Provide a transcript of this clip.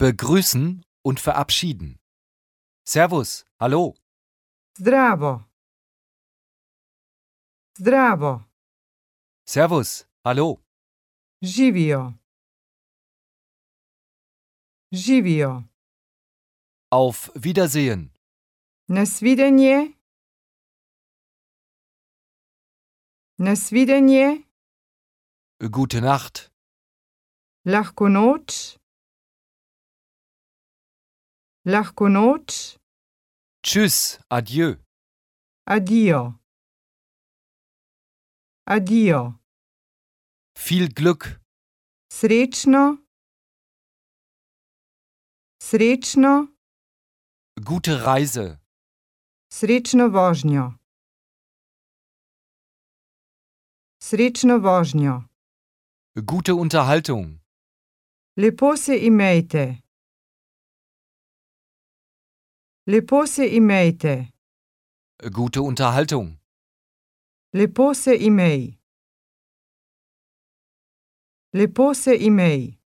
Begrüßen und verabschieden. Servus, hallo. Zdravo. Zdravo. Servus, hallo. Živio. Živio. Auf Wiedersehen. Na svidenje. Na svidenje. Gute Nacht. Lahko noč. Lahko noč. Tschüss, adieu. Addio. Addio. Viel Glück. Srečno. Srečno. Gute Reise. Srečno vožnjo. Srečno vožnjo. Gute Unterhaltung. Lepo se imejte. Lepo se imejte. Gute Unterhaltung. Lepo se imej. Lepo se imej.